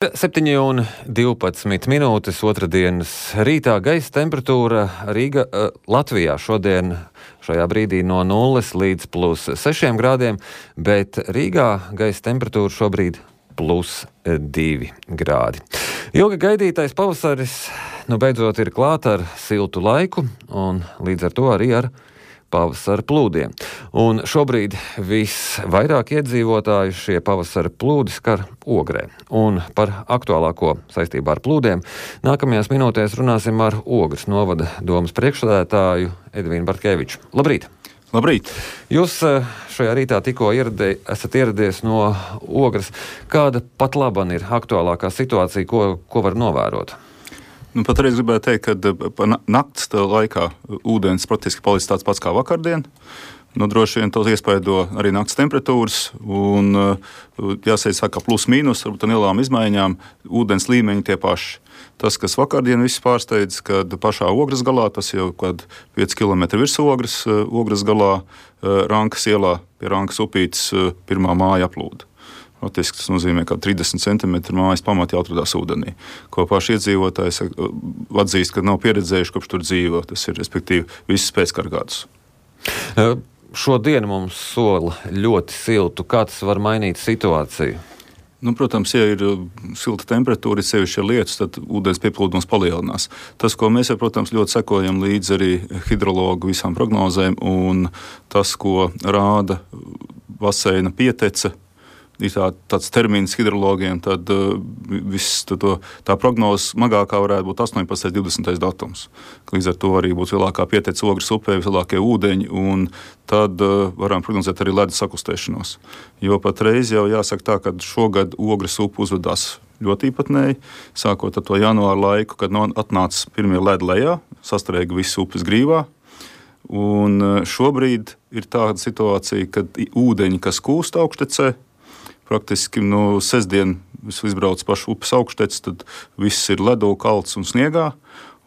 7,12 minūtes otrdienas rītā gaisa temperatūra Latvijā šodien šajā brīdī no 0 līdz +6 grādiem, bet Rīgā gaisa temperatūra šobrīd +2 grādi. Ilgi gaidītais pavasaris beidzot ir klāt ar siltu laiku un līdz ar to arī ar pavasara plūdiem. Un šobrīd visvairāk iedzīvotāju šie pavasara plūdi skar Ogrē. Un par aktuālāko saistībā ar plūdiem nākamajās minūtēs runāsim ar Ogres novada domas priekšsēdētāju Edvīnu Bartkeviču. Labrīt! Labrīt! Jūs šajā rītā tikko esat ieradies no Ogres. Kāda pat laban ir aktuālākā situācija, ko var novērot? Patreiz gribētu teikt, ka nakts laikā ūdens praktiski palicis tāds pats kā vakardien. Droši vien to iespaido arī nakts temperatūras. Un, jāsaka, ka plus-mínus ar lielām izmaiņām ūdens līmeņi tie paši. Tas, kas vakardien viss pārsteidz, kad pašā Ogres galā, tas jau 5 km virs Ogres galā, Rankas ielā pie Rankas upītes pirmā māja aplūda. Tas nozīmē, ka 30 cm mājas pamatā atradās ūdenī, ko paši iedzīvotāji atzīst, ka nav pieredzējuši, kopš tur dzīvo. Tas ir, respektīvi, visus pēckara gadus. Šodien mums sola ļoti siltu. Kā tas var mainīt situāciju? Protams, ja ir silta temperatūra, sevišķi ir lietus, tad ūdens pieplūdums palielinās. Tas, ko mēs, protams, ļoti sekojam līdzi arī hidrologu visām prognozēm, un tas, ko rāda baseina pietece, ir tāds termins hidrologiem, tad tā prognoze smagākā varētu būt 18. 20. datums. Līdz ar to arī būtu lielākā pietece Ogres upē, vislielākie ūdeņi, un tad varam prognozēt arī ledus sakustēšanos. Jo patreiz jau jāsaka tā, ka šogad Ogres upe uzvedās ļoti īpatnēji, sākot ar to janvāra laiku, kad atnāca pirmie ledi lejā, sastrēga visu upes grīvā. Un šobrīd ir tāda situācija, kad ūdeņi, kas kūst augštecē, praktiski sestdien izbrauc pašu upes augšteci, tad viss ir ledu, kalts un sniegā,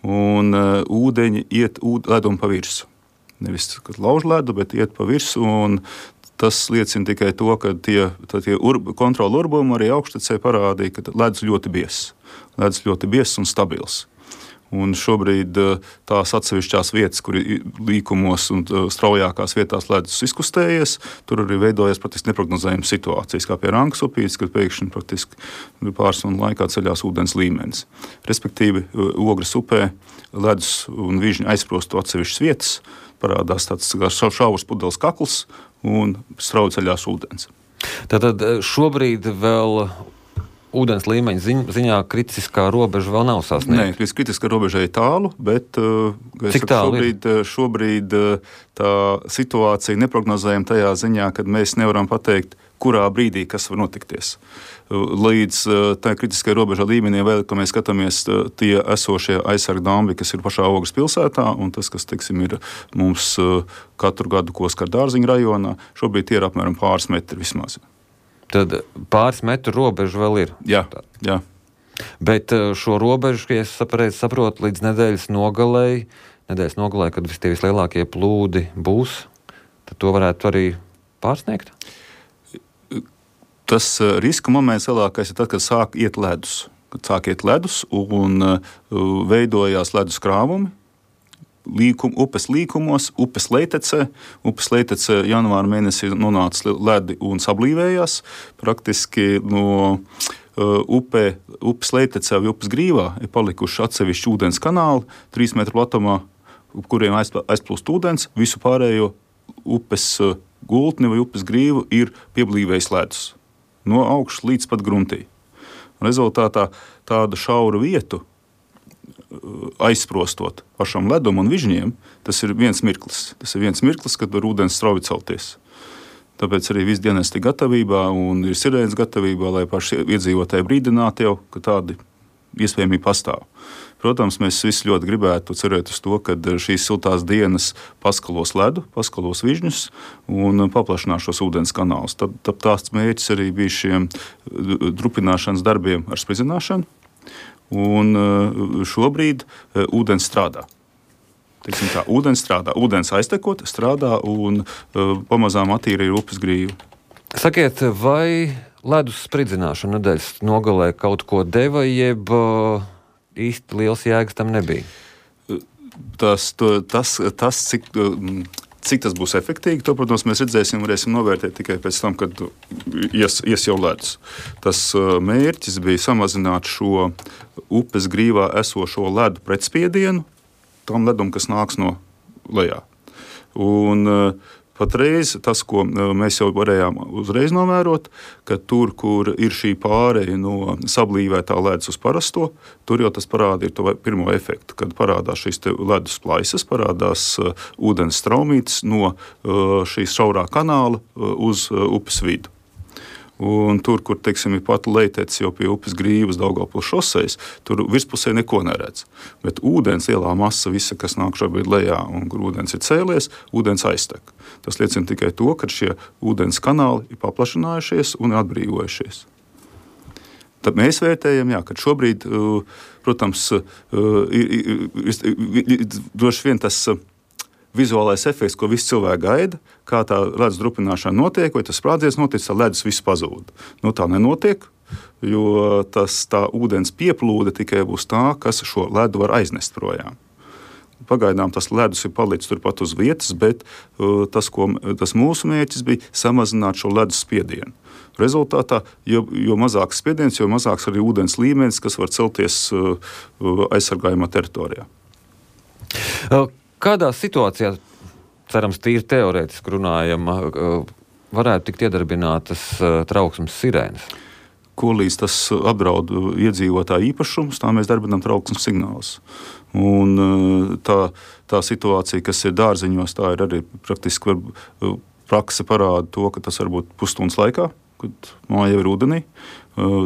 un ūdeņi iet ledumu pa virsu. Nevis, kad lauž ledu, bet iet pa virsu, un tas liecina tikai to, ka tie kontrola urbumi arī augštecē parādīja, ka ledus ļoti biezs. Ledus ļoti biezs un stabils. Un šobrīd tās atsevišķās vietas, kur ir līkumos un straujākās vietās ledus izkustējies, tur arī veidojas praktiski neprognozējamas situācijas, kā pie Rankas upītes, kad pēkšņi praktiski pāris stundu laikā ceļās ūdens līmenis. Respektīvi, Ogres upē ledus un vižņi aizprostu atsevišķas vietas, parādās tāds šaurs pudeles kakls un strauji ceļās ūdens. Tātad šobrīd vēl ūdens līmeņa ziņā kritiskā robeža vēl nav sasniegta? Nē, kritiskā robeža ir tālu, bet cik tālu šobrīd tā situācija neprognozējama tajā ziņā, kad mēs nevaram pateikt, kurā brīdī kas var notikties. Līdz tā kritiskai robežā līmenī vēl, ka mēs skatāmies tie esošie aizsargu dambi, kas ir pašā Ogres pilsētā, un tas, kas, ir mums katru gadu, ko skar Dārziņu rajonā, šobrīd tie ir apmēram pāris metri vismaz. Tad pāris metru robežu vēl ir. Jā. Bet šo robežu, ja es saprotu, līdz nedēļas nogalei, kad tie vislielākie plūdi būs, tad to varētu arī pārsniegt? Tas riska moments lielākais ir tad, kad sāk iet ledus. Kad sāk iet ledus un veidojās ledus krāvumi, upes līkumos, upes leitecē. Upes leitecē janvāra mēnesī nonāca ledi un sablīvējās. Praktiski no upes leitecē vai upes grīvā ir palikuši atsevišķi ūdens kanāli, 3 metru platumā, kuriem aizplūst ūdens. Visu pārējo upes gultni vai upes grīvu ir pieblīvējis ledus. No augšas līdz pat gruntī. Rezultātā tādu šauru vietu aizsprostot pašam ledum un vižņiem, tas ir viens mirklis. Tas ir viens mirklis, kad var ūdens strauji celties. Tāpēc arī viss dienesti ir gatavībā un ir sirēnas gatavībā, lai paši iedzīvotāji brīdinātu jau, ka tādi iespējamība pastāv. Protams, mēs visi ļoti gribētu cerēt uz to, ka šīs siltās dienas paskalos ledu, paskalos vižņus un paplašinās šos ūdens kanālus. Tad tās mērķis arī bija šiem drupināšanas darbiem ar spridzināšanu. Un šobrīd ūdens strādā. Ūdens strādā, ūdens aiztekot strādā un pamazām attīra ir upes grīvu. Sakiet, vai ledus spridzināšana nedēļas nogalē kaut ko deva, jeb īsti liels jēgas tam nebija? Cik tas būs efektīvi, to, protams, mēs varēsim novērtēt tikai pēc tam, kad ies jau ledus. Tas mērķis bija samazināt šo upes grīvā esošo ledu pretspiedienu tam ledum, kas nāks no lejā. Un patreiz tas, ko mēs jau varējām uzreiz novērot, ka tur, kur ir šī pāreja no sablīvētā ledus uz parasto, tur jau tas parāda to pirmo efektu, kad parādās šīs ledus plaisas, parādās ūdens straumītes no šīs šaurā kanāla uz upes vidu. Un tur, kur teiksim, ir pat lejtec jau pie upes grīvas Daugavpils šosejas, tur virspusē neko neredz. Bet ūdens lielā masa, visa, kas nāk šobrīd lejā un kur ūdens ir cēlies, ūdens aiztek. Tas liecina tikai to, ka šie ūdens kanāli ir paplašinājušies un atbrīvojušies. Tad mēs vērtējam, ka šobrīd, protams, droši vien tas vizuālais efekts, ko visi cilvēki gaida, kā tā ledus drupināšana notiek, vai tas sprādziens notiek, tā ledus viss pazūd. Tā nenotiek, jo tā ūdens pieplūde tikai būs tā, kas šo ledu var aiznest projām. Pagaidām tas ledus ir palicis turpat uz vietas, bet tas mūsu mērķis bija samazināt šo ledus spiedienu. Rezultātā, jo mazāks spiediens, jo mazāks arī ūdens līmenis, kas var celties aizsargājumā teritorijā. Kādā situācijā, cerams, tīri teorētiski runājam, varētu tikt iedarbinātas trauksmes sirēnas? Ko līdz tas apdraud iedzīvotāju īpašumus, tā mēs darbinām trauksmes signālus. Un tā situācija, kas ir dārziņos, tā ir arī praktiski prakse parāda to, ka tas var būt pusstundas laikā, kad māja jau ir ūdenī.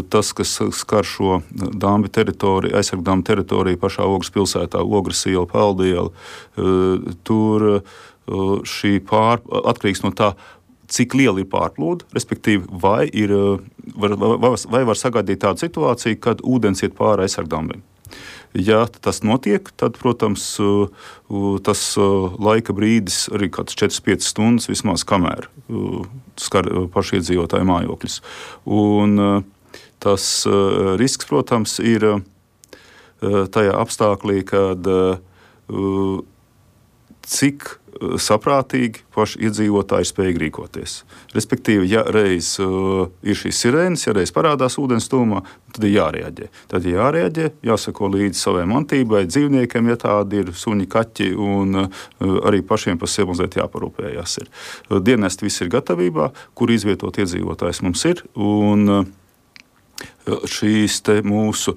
Tas, kas skar šo dāmbi teritoriju, aizsargdāmbi teritoriju pašā Ogres pilsētā, Ogres iela, Peldiela, tur šī atkarīgs no tā, cik liela ir pārplūde, respektīvi, vai var sagaidīt tādu situāciju, kad ūdens iet pāri aizsargdāmbiem. Ja tas notiek, tad, protams, tas laika brīdis arī kāds 4-5 stundas vismaz, kamēr skar pašiedzīvotāju mājokļus. Un tas risks, protams, ir tajā apstāklī, kad cik saprātīgi paši iedzīvotāji ir spējīgi rīkoties. Respektīvi, ja reiz ir šīs sirēnas, ja reiz parādās ūdens tūmā, tad ir jārēģē. Tad ir jārēģē, jāsako līdzi savai mantībai, dzīvniekiem, ja tādi ir suņi, kaķi, un arī pašiem par sevi mazliet jāparūpējās ir. Dienesti viss ir gatavībā, kur izvietot iedzīvotājs mums ir, un šīs te mūsu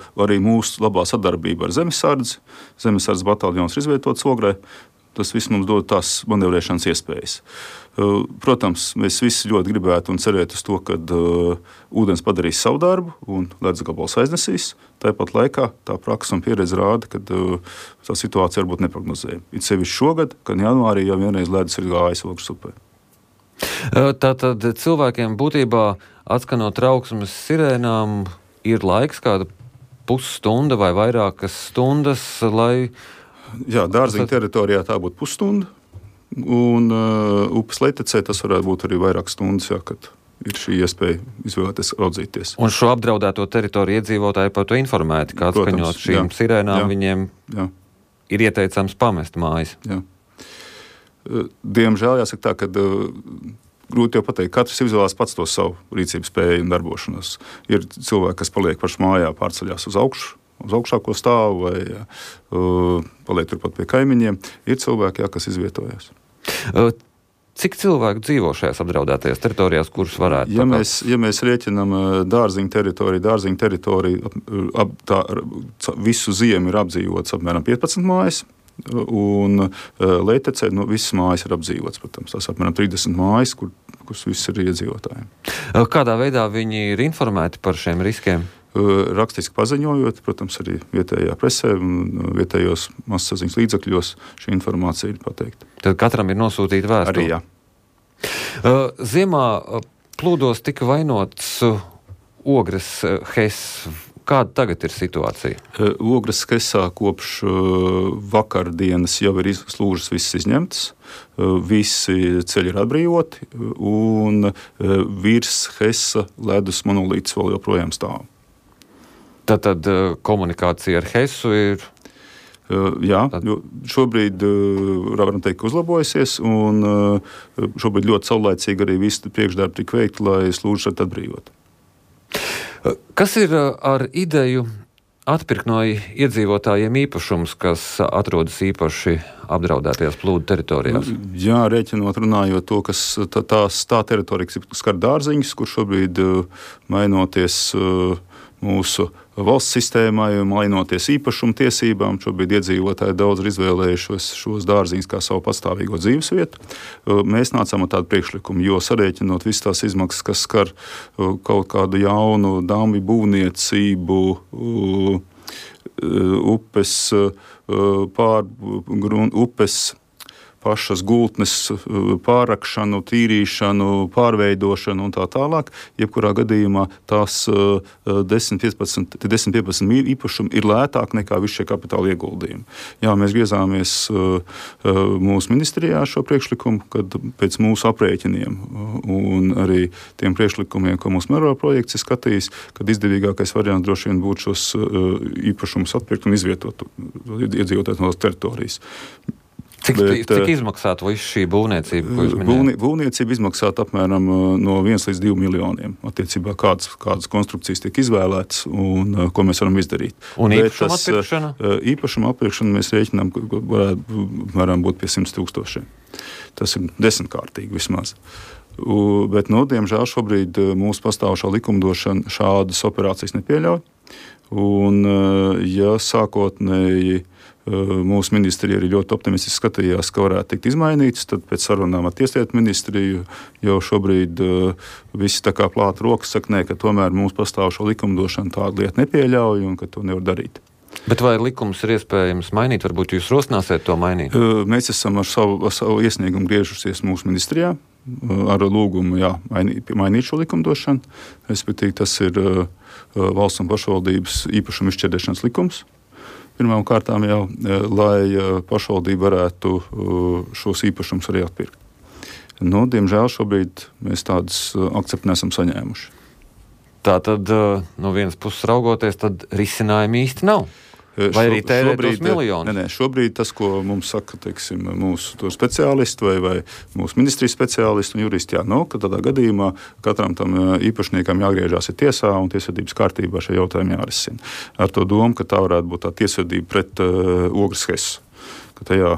labā sadarbība ar Zemesardzi bataljons ir izvietots Ogrē. Tas viss mums dod tās manevrēšanas iespējas. Protams, mēs visi ļoti gribētu un cerētu uz to, ka ūdens padarīs savu darbu un ledus gabals aiznesīs. Tāpat laikā tā praksa un pieredze rāda, ka tā situācija var būt neprognozējama. It sevišķi šogad, kad janvārī jau vienreiz ledus ir gājis Ogres upē. Tātad cilvēkiem būtībā atskanot trauksmes sirēnām ir laiks, kāda pusstunda vai vairākas stundas, lai... Jā, dārziņa teritorijā tā būtu pusstunda, un upes lejtecē tas varētu būt arī vairākas stundas, kad ir šī iespēja izvēlēties raudzīties. Un šo apdraudēto teritoriju iedzīvotāji par to informēti, kā atskaņot šīm sirēnām, viņiem ir ieteicams pamest mājas. Jā. Diemžēl jāsaka tā, ka grūti jau pateikt, katrs izvēlās pats to savu rīcības spēju un darbošanos. Ir cilvēki, kas paliek paši mājā, pārceļās uz augšāko stāvu vai paliek turpat pie kaimiņiem. Ir cilvēki, kas izvietojās. Cik cilvēku dzīvo šajās apdraudētajās teritorijās, kuras varētu? Ja mēs rēķinām dārziņu teritoriju, visu ziemu ir apdzīvots apmēram 15 mājas, un lejtecē visas mājas ir apdzīvotas, protams. Tas apmēram 30 mājas, kuras viss ir iedzīvotājiem. Kādā veidā viņi ir informēti par šiem riskiem? Rakstiski paziņojot, protams, arī vietējā presē un vietējos masasaziņas līdzekļos šī informācija ir pateikta. Tad katram ir nosūtīta vēstule? Arī jā. Ziemā plūdos tika vainots Ogres HES Kāda tagad ir situācija? Ogres Hesā kopš vakardienas jau ir slūžas visas izņemtas. Visi ceļi ir atbrīvoti, un virs Hesa ledus monolīts vēl joprojām stāv. Tātad komunikācija ar Hesu ir... Jā, šobrīd varam teikt, ka uzlabojusies, un šobrīd ļoti saulaicīgi arī visi priekšdarbi tika veikti, lai slūžas atbrīvot. Kas ir ar ideju atpirkt no iedzīvotājiem īpašums, kas atrodas īpaši apdraudētajās plūdu teritorijās? Jā, rēķinot, runājot to, kas tā teritorija, kas skar dārziņus, kur šobrīd mainoties mūsu valsts sistēmai, mainoties īpašuma tiesībām, šobrīd iedzīvotāji daudz ir izvēlējušos šos dārziņus kā savu pastāvīgo dzīvesvietu. Mēs nācām ar tādu priekšlikumu, jo sarēķinot visas tās izmaksas, kas skar kaut kādu jaunu damju būvniecību, upes pašas gultnes pārrakšanu, tīrīšanu, pārveidošanu un tā tālāk. Jebkurā gadījumā tās 10-15 īpašumi ir lētāk nekā visi šie kapitāla ieguldījumi. Jā, mēs griezāmies mūsu ministrijā šo priekšlikumu, kad pēc mūsu aprēķiniem un arī tiem priekšlikumiem, ko mūsu mēroga projekts ir skatījis, kad izdevīgākais variants droši vien būtu šos īpašumus atpirkt un izvietot iedzīvotājus no teritorijas. Cik izmaksātu visu šī būvniecība, ko jūs minējāt? Būvniecība izmaksātu apmēram no 1 līdz 2 miljoniem. Attiecībā kādas konstrukcijas tiek izvēlētas un ko mēs varam izdarīt. Un īpašuma atpirkšana? Īpašuma atpirkšana mēs rēķinām, ka varam būt pie 100 000. Tas ir 10-kārtīgi vismaz. Bet, diemžēl šobrīd mūsu pastāvošā likumdošana šādas operācijas nepieļauj. Un, ja sākotnēji mūsu ministrija arī ļoti optimistiski skatījās, ka varētu tikt izmainīts, tad pēc sarunām ar Tieslietu ministriju jau šobrīd visi tā kā plāta rokas saka, nē, ka tomēr mūsu pastāvošo likumdošanu tādu lietu nepieļauj un ka to nevar darīt. Bet vai likums ir iespējams mainīt? Varbūt jūs rosināsiet to mainīt? Mēs esam ar savu iesniegumu griežusies mūsu ministrijā ar lūgumu mainīt šo likumdošanu. Respektīvi, tas ir valsts un pašvaldības īpašuma izšķirdēšanas likums. Pirmām kārtām jau, lai pašvaldība varētu šos īpašumus arī atpirkt. Diemžēl šobrīd mēs tādas akceptu nesam saņēmuši. Tātad, no vienas puses raugoties, tad risinājumi īsti nav. Vai arī tērēt tos miljonus? Nē, šobrīd tas, ko mums saka, teiksim, mūsu speciālisti vai mūsu ministrijas speciālisti un juristi, ka tādā gadījumā katram tam īpašniekam jāgriežās ir tiesā un tiesvedības kārtībā šie jautājumi jārisina. Ar to domu, ka tā varētu būt tā tiesvedība pret Ogres Hesu. Ka tajā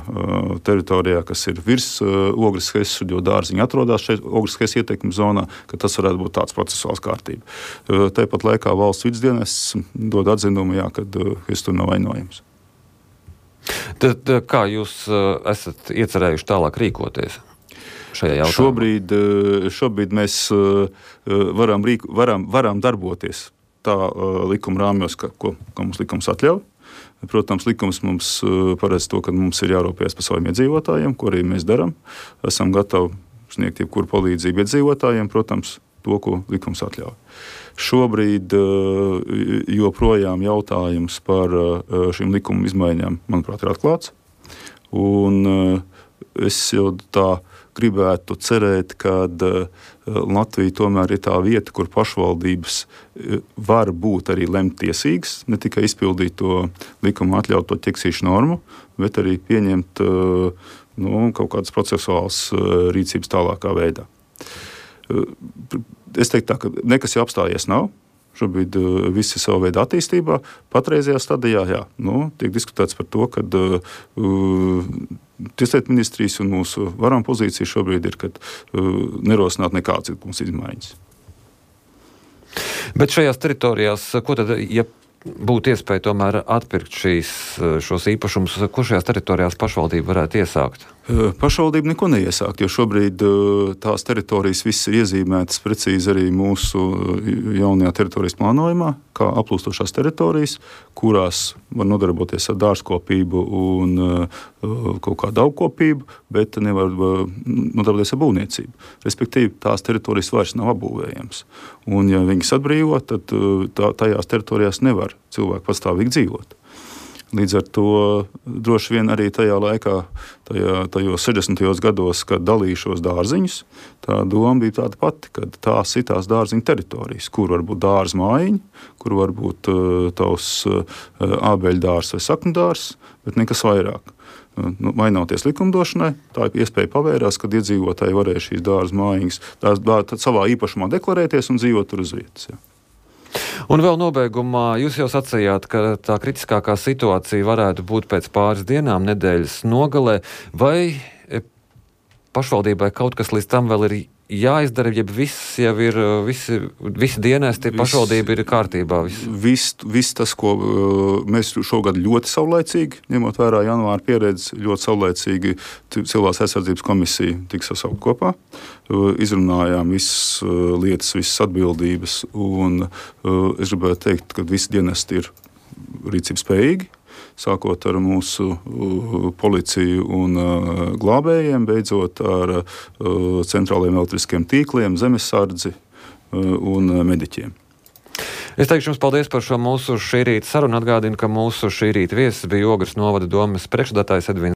teritorijā, kas ir virs Ogres Hesu, jo dārziņi atrodas šeit Ogres Hesu ietekmes zonā, ka tas varētu būt tāds procesuāls kārtība. Tāpat laikā valsts vidusdienests dod atzinumu, kad Hesu tur nav vainojams. Tad kā jūs esat iecerējuši tālāk rīkoties šajā jautājumā? Šobrīd mēs varam darboties tā likuma rāmjos, ko mums likums atļauj. Protams, likums mums paredz to, ka mums ir jārūpējas par saviem iedzīvotājiem, ko arī mēs darām. Esam gatavi sniegt jebkuru palīdzību iedzīvotājiem, protams, to, ko likums atļauj. Šobrīd joprojām jautājums par šīm likuma izmaiņām, manuprāt, ir atklāts. Un es jau tā gribētu cerēt, ka Latvija tomēr ir tā vieta, kur pašvaldības var būt arī lemtiesīgas, ne tikai izpildīt to likuma atļauto ķeksīšu normu, bet arī pieņemt kaut kādas procesuālas rīcības tālākā veidā. Es teiktu tā, ka nekas jau apstājies nav. Šobrīd visi ir savu veidu attīstībā. Patreizajā stadijā tiek diskutēts par to, ka Tieslietu ministrijas un mūsu varam pozīcija šobrīd ir, kad nerosināt nekādas likuma izmaiņas. Bet šajās teritorijās, ko tad, ja būtu iespēja tomēr atpirkt šos īpašumus, ko šajās teritorijās pašvaldība varētu iesākt? Pašvaldība neko neiesākt, jo šobrīd tās teritorijas viss ir iezīmētas precīzi arī mūsu jaunajā teritorijas plānojumā, kā aplūstošās teritorijas, kurās var nodarboties ar dārzkopību un kaut kādu augkopību, bet nevar nodarboties ar būvniecību. Respektīvi, tās teritorijas vairs nav apbūvējams. Un, ja viņas atbrīvo, tad tajās teritorijās nevar cilvēki pastāvīgi dzīvot. Līdz ar to droši vien arī tajā laikā, tajos 60. gados, kad dalīja šos dārziņus, tā doma bija tāda pati, ka tās ir tās dārziņu teritorijas, kur var būt dārza mājiņa, kur var būt tavs ābeļdārs vai sakņdārs, bet nekas vairāk. Mainoties likumdošanai, tā iespēja pavērās, kad iedzīvotāji varēja šīs dārza mājiņas savā īpašumā deklarēties un dzīvot tur uz vietas. Ja. Un vēl nobeigumā jūs jau sacījāt, ka tā kritiskākā situācija varētu būt pēc pāris dienām, nedēļas nogalē. Vai pašvaldībai kaut kas līdz tam vēl ir jāizdara, ja viss jau ir, visi dienesti pašvaldība ir kārtībā? Viss tas, ko mēs šogad ļoti saulaicīgi, ņemot vērā janvāra pieredzi, ļoti saulaicīgi Civilās aizsardzības komisija tika sasaukt kopā. Izrunājām visas lietas, visas atbildības, un es gribētu teikt, ka visi dienesti ir rīcības spējīgi. Sākot ar mūsu policiju un glābējiem, beidzot ar centrālajiem elektriskiem tīkliem, zemesardzi un mediķiem. Es teikšu jums paldies par šo mūsu šī rīta sarunu. Atgādinu, ka mūsu šī rīta viesis bija Ogres novada domes priekšsēdētājs Edvins